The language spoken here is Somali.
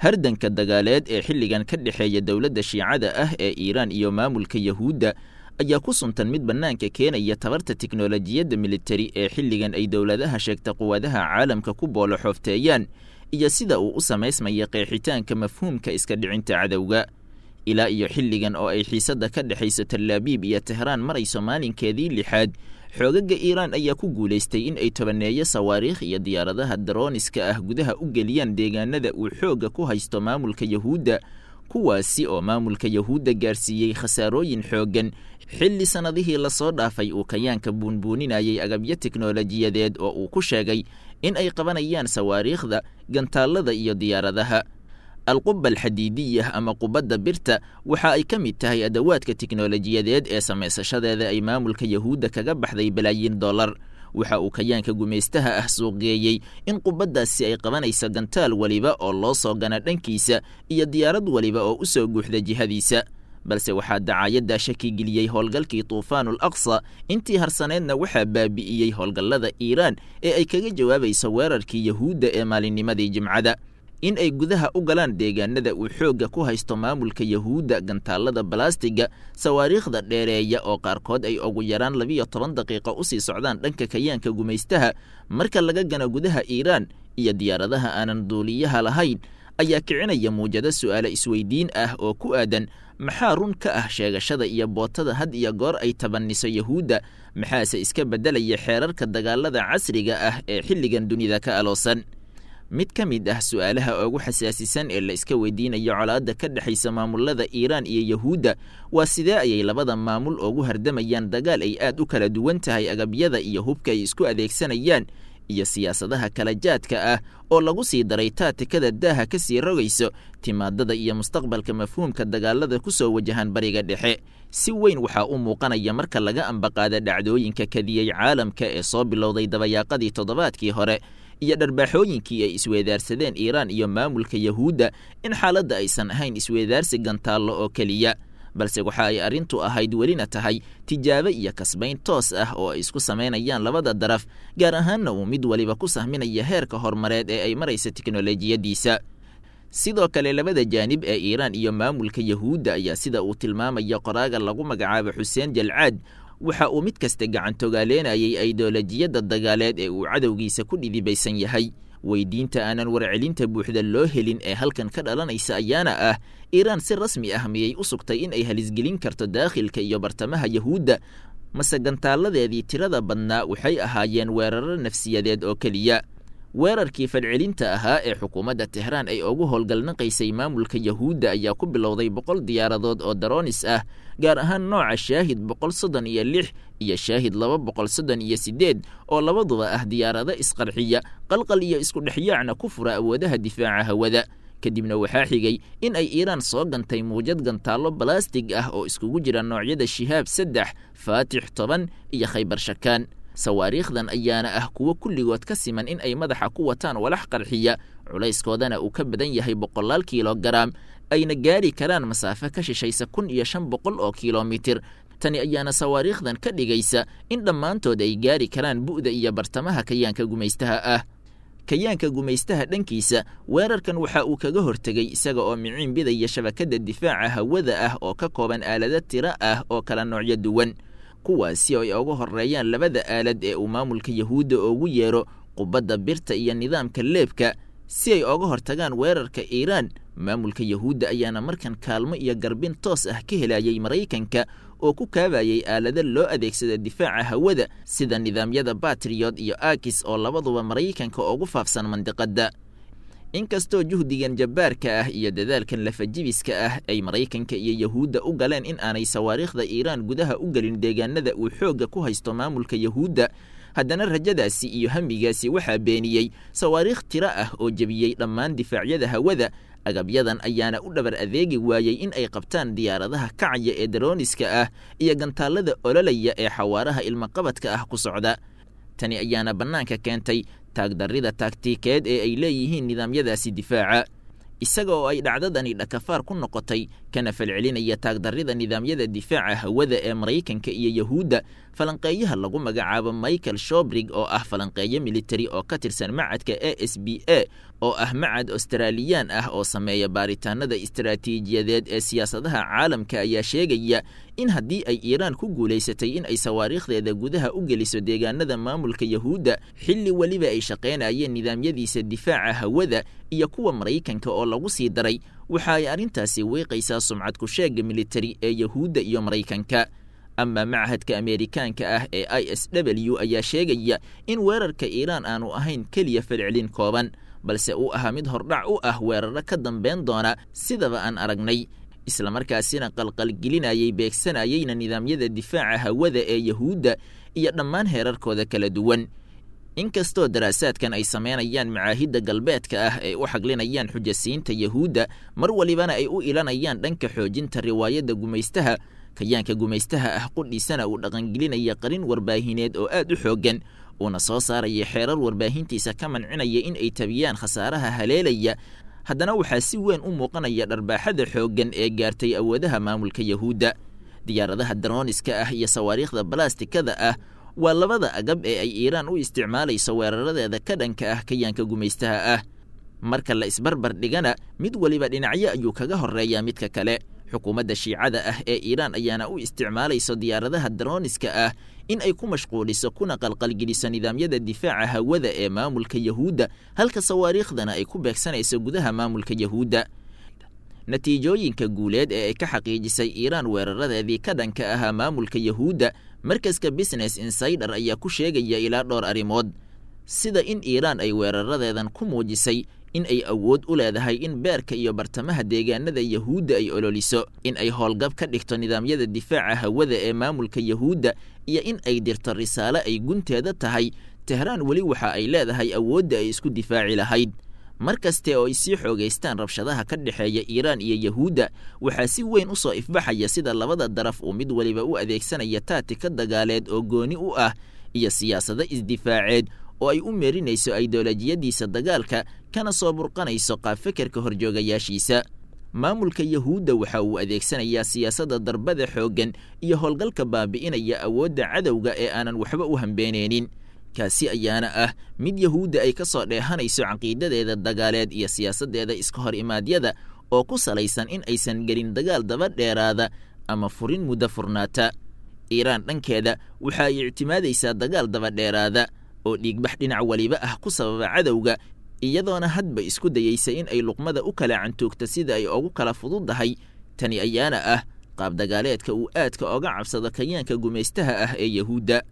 Hardanka dagaaleed ee xilligan ka dhexeeya dowladda Shiicada ah ee Iiraan iyo maamulka Yahuudda ayaa ku suntan mid bannaanka keenaya tabarta tiknolojiyadda militari ee xilligan ay dowladaha sheegta quwadaha caalamka ku boolo xoofteeyaan, iyo sida uu u samaysmaya qeexitaanka mafhuumka iska dhicinta cadowga. Ilaa iyo xilligan oo ay xiisadda ka dhexayso Talaabiib iyo Tehraan marayso maalinkeedii lixaad, xoogaga Iiraan ayaa ku guulaystay in ay tobaneeyo sawaariikh iyo diyaaradaha darooniska ah gudaha u geliyaan deegaanada uu xoogga ku haysto maamulka Yahuudda, kuwaasi oo maamulka Yahuudda gaarsiiyey khasaarooyin xooggan, xilli sannadihii lasoo dhaafay uu kayaanka buunbuuninayay agabyo tiknolojiyadeed oo uu ku sheegay in ay qabanayaan sawaariikhda, gantaallada iyo diyaaradaha. Alquba alxadiidiyah ama qubadda birta waxa ay ka mid tahay adawaadka tiknolojiyadeed ee samaysashadeeda ay maamulka Yahuudda kaga baxday balaayiin dollar. Waxa uu kayaanka gumaystaha ah suuqgeeyey in qubaddaasi ay qabanayso gantaal weliba oo loo soo gana dhankiisa iyo diyaarad weliba oo u soo guuxda jihadiisa, balse waxaa dacaayaddaa shakigeliyey howlgalkii Tuufaanul Aqsa. Intii harsaneedna waxaa baabi'iyey howlgallada Iiraan ee ay kaga jawaabayso weerarkii Yahuudda ee maalinnimadii Jimcada. In ay gudaha u galaan deegaanada uu xoogga ku haysto maamulka Yahuudda gantaallada balastiga, sawaariikhda dheereeya oo qaarkood ay ugu yaraan 12 daqiiqo usii socdaan dhanka kayaanka gumaystaha marka laga gano gudaha Iiraan, iyo diyaaradaha aanan duuliyaha lahayn ayaa kicinaya muujado su'aale isweydiin ah oo ku aadan: maxaa run ka ah sheegashada iyo bootada had iyo goor ay tabaniso Yahuudda? Maxaase iska beddelaya xeerarka dagaalada casriga ah ee xilligan dunida ka aloosan? Mid ka mid ah su'aalaha ugu xasaasisan ee la iska weydiinayo colaadda ka dhexaysa maamulada Iiraan iyo Yahuudda waa sidee ayay labada maamul ugu hardamayaan dagaal ay aad u kala duwan tahay agabyada iyo hubka ay isku adeegsanayaan iyo siyaasadaha kala jaadka ah oo lagu sii daray taatikada daaha ka sii rogayso timaadada iyo mustaqbalka mafhuumka dagaalada ku soo wajahan Bariga Dhexe? Si weyn waxaa u muuqanaya marka laga ambaqaada dhacdooyinka kadiyey caalamka ee soo bilowday dabayaaqadii toddobaadkii hore iyo dharbaaxooyinkii ay isweedaarsadeen Iiraan iyo maamulka Yahuudda in xaaladda aysan ahayn isweedaarsi gantaallo oo keliya, balse waxa ay arrintu ahayd welina tahay tijaabo iyo kasbayn toos ah oo ay isku samaynayaan labada daraf, gaar ahaanna uu mid waliba ku sahminaya heerka horumareed ee ay maraysa tiknolojiyaddiisa. Sidoo kale labada jaanib ee Iiraan iyo maamulka Yahuudda ayaa, sida uu tilmaamaya qoraaga lagu magacaabo Xuseen Jalcaad, waxa uu mid kasta gacantogaaleenayay aidolojiyadda dagaaleed ee uu cadowgiisa ku dhidibaysan yahay. Weydiinta aanan warcelinta buuxda loo helin ee halkan ka dhalanaysa ayaana ah: Iiraan si rasmi ah miyay u sugtay in ay halisgelin karto daakhilka iyo bartamaha Yahuudda, mase gantaaladeedii tirada badnaa waxay ahaayeen weeraro nafsiyadeed oo keliya? Weerarkii fadcelinta ahaa ee xukuumadda Tehraan ay ugu howlgalnaqaysay maamulka Yahuudda ayaa ku bilowday 100 diyaaradood oo daroonis ah, gaar ahaan nooca Shaahid 136 iyo Shaahid 238, oo labaduba ah diyaarado isqarxiya, qalqal iyo isku dhexyaacna ku fura awoodaha difaaca hawada. Kadibna waxaa xigay in ay Iiraan soo gantay muujad gantaallo balastig ah oo iskugu jira noocyada Shihaab 3, Faatix 10 iyo Khaybar Shakaan. Sawaariikhdan ayaana ah kuwo kulligood ka siman in ay madaxa ku wataan walax qarxiya, culayskoodana uu ka badan yahay boqolaal kilogaram, ayna gaari karaan masaafo ka shishaysa 1500 oo kilomitir. Tani ayaana sawaariikhdan ka dhigaysa in dhammaantood ay gaari karaan bu'da iyo bartamaha kayaanka gumaystaha ah. Kayaanka gumaystaha dhankiisa weerarkan waxa uu kaga hortegay isaga oo miciin bidaya shabakadda difaaca hawada ah oo ka kooban aalado tiro ah oo kala noocyo duwan, kuwaasi oo ay uga horreeyaan labada aalad ee uu maamulka Yahuudda ugu yeero qubadda birta iyo nidaamka leebka, si ay oga hortagaan weerarka Iiraan. Maamulka Yahuudda ayaana markan kaalmo iyo garbin toos ah ka helayay Maraykanka oo ku kaabayay aalado loo adeegsada difaaca hawada sida nidaamyada Batriyot iyo Akis oo labaduba Maraykanka ugu faafsan mandiqadda. Inkastoo juhdigan jabbaarka ah iyo dadaalkan lafajibiska ah ay Maraykanka iyo Yahuudda u galeen in aanay sawaariikhda Iiraan gudaha u gelin deegaanada uu xoogga ku haysto maamulka Yahuudda, haddana rajadaasi iyo hamigaasi waxaa beeniyey sawaariikh tiro ah oo jebiyey dhammaan difaacyada hawada. Agabyadan ayaana u dhabar adeegi waayey in ay qabtaan diyaaradaha kacaya ee darooniska ah iyo gantaallada ololaya ee xawaaraha ilmaqabadka ah ku socda. Tani ayaana bannaanka keentay taagdarrida taagtiikeed ee ay leeyihiin nidaamyadaasi difaaca. Isaga oo ay dhacdadani dhakafaar ku noqotay kana falcelinaya taagdarrida nidaamyada difaaca hawada ee Maraykanka iyo Yahuudda, falanqeeyaha lagu magacaabo Michael Shobrig oo ah falanqeeyo militari oo ka tirsan macadka ASBA oo ah macad Australiyaan ah oo sameeya baaritaanada istaraatiijiyadeed ee siyaasadaha caalamka, ayaa sheegaya in haddii ay Iiraan ku guulaysatay in ay sawaariikhdeeda gudaha u geliso deegaanada maamulka Yahuudda xilli weliba ay shaqaynayeen nidaamyadiisa difaaca hawada iyo kuwa Maraykanka oo lagu sii daray, waxa ay arrintaasi wiiqaysaa sumcad ku sheegga militari ee Yahuudda iyo Maraykanka. Ama machadka Ameerikaanka ah ee ISW ayaa sheegaya in weerarka Iiraan aanu ahayn keliya falcelin kooban, balse uu ahaa mid hordhac u ah weeraro ka dambeyn doona sidaba aan aragnay, islamarkaasina qalqalgelinayay beegsanayeyna nidaamyada difaaca hawada ee Yahuudda iyo dhammaan heerarkooda kala duwan. Inkastoo daraasaadkan ay sameynayaan macaahidda galbeedka ah ay u xaglinayaan xujasiinta Yahuudda, mar walibana ay u ilanayaan dhanka xoojinta riwaayadda gumaystaha, kayaanka gumaystaha ah qudhiisana uu dhaqangelinaya qarin warbaahineed oo aad u xooggan, uuna soo saaraya xeerar warbaahintiisa ka mancinaya in ay tabiyaan khasaaraha haleelaya, haddana waxaa si weyn u muuqanaya dharbaaxada xooggan ee gaartay awoodaha maamulka Yahuudda. Diyaaradaha darooniska ah iyo sawaariikhda balastikada ah waa labada agab ee ay Iiraan u isticmaalayso weeraradeeda ka dhanka ah kayaanka gumaystaha ah. Marka la isbarbar dhigana, mid weliba dhinacyo ayuu kaga horreeyaa midka kale. Xukuumadda Shiicada ah ee Iiraan ayaana u isticmaalayso diyaaradaha darooniska ah in ay ku mashquuliso kuna qalqalgeliso nidaamyada difaaca hawada ee maamulka Yahuudda, halka sawaariikhdana ay ku beegsanayso gudaha maamulka Yahuudda. Natiijooyinka guuleed ee ay ka xaqiijisay Iiraan weeraradeedii ka dhanka ahaa maamulka Yahuudda, markaska Business Insider ayaa ku sheegaya ilaa dhowr arrimood, sida in Iiraan ay weeraradeedan ku muujisay in ay awood u leedahay in beerka iyo bartamaha deegaanada Yahuudda ay ololiso, in ay howlgab ka dhigto nidaamyada difaaca hawada ee maamulka Yahuudda, iyo in ay dirto risaalo ay gunteeda tahay Tehraan weli waxa ay leedahay awoodda ay isku difaaci lahayd. Mar kaste oo ay sii xoogaystaan rabshadaha ka dhexeeya Iiraan iyo Yahuudda, waxaa si weyn u soo ifbaxaya sida labada daraf uu mid weliba u adeegsanaya taatika dagaaleed oo gooni u ah iyo siyaasado isdifaaceed oo ay u meerinayso aideolojiyadiisa dagaalka, kana soo burqanayso qaabfekerka horjoogayaashiisa. Maamulka Yahuudda waxa uu adeegsanayaa siyaasadda darbada xooggan iyo howlgalka baabi'inaya awoodda cadowga ee aanan waxba u hambeeneynin, kaasi ayaana ah mid Yahuudda ay ka soo dheehanayso caqiidadeeda dagaaleed iyo siyaasaddeeda iska hor imaadyada oo ku salaysan in aysan gelin dagaal daba dheeraada ama furin muddo furnaata. Iiraan dhankeeda waxa ay ictimaadaysaa dagaal daba dheeraada oo dhiigbax dhinac waliba ah ku sababa cadowga, iyadoona hadba isku dayeysa in ay luqmada u kala cantoogto sida ay ugu kala fududahay. Tani ayaana ah qaab dagaaleedka uu aadka oga cabsado kayaanka gumaystaha ah ee Yahuudda.